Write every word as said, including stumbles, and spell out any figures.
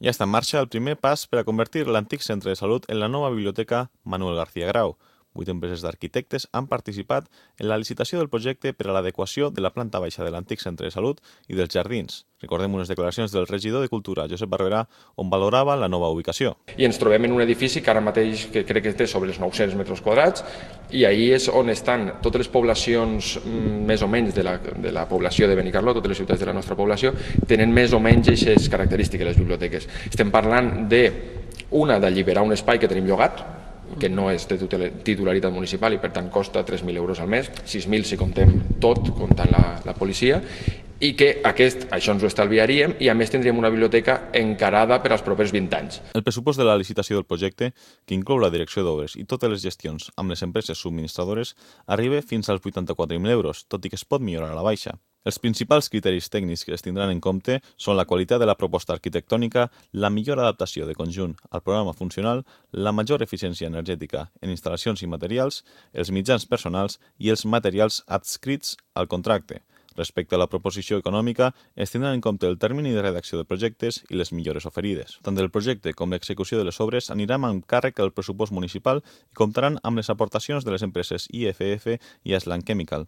Ja està en marxa el primer pas per a convertir l'antic centre de salut en la nova biblioteca Manuel García Grau. Vuit empreses d'arquitectes han participat en la licitació del projecte per a l'adequació de la planta baixa de l'antic centre de salut i dels jardins. Recordem unes declaracions del regidor de Cultura, Josep Barberà, on valorava la nova ubicació. I ens trobem en un edifici que ara mateix que crec que té sobre els nou-cents metres quadrats i ahí és on estan totes les poblacions més o menys de la, de la població de Benicarló, totes les ciutats de la nostra població, tenen més o menys aquestes característiques les biblioteques. Estem parlant de una d'alliberar un espai que tenim llogat, que no és de titularitat municipal i per tant costa tres mil euros al mes, sis mil si comptem tot, comptant la, la policia, i que aquest, això ens ho estalviaríem i a més tindríem una biblioteca encarada per als propers vint anys. El pressupost de la licitació del projecte, que inclou la direcció d'obres i totes les gestions amb les empreses subministradores, arriba fins als vuitanta-quatre mil euros, tot i que es pot millorar a la baixa. Els principals criteris tècnics que es tindran en compte són la qualitat de la proposta arquitectònica, la millor adaptació de conjunt al programa funcional, la major eficiència energètica en instal·lacions i materials, els mitjans personals i els materials adscrits al contracte. Respecte a la proposició econòmica, es tindran en compte el termini de redacció de projectes i les millores oferides. Tant el projecte com l'execució de les obres aniran amb càrrec al pressupost municipal i comptaran amb les aportacions de les empreses I F F i Aslan Chemical,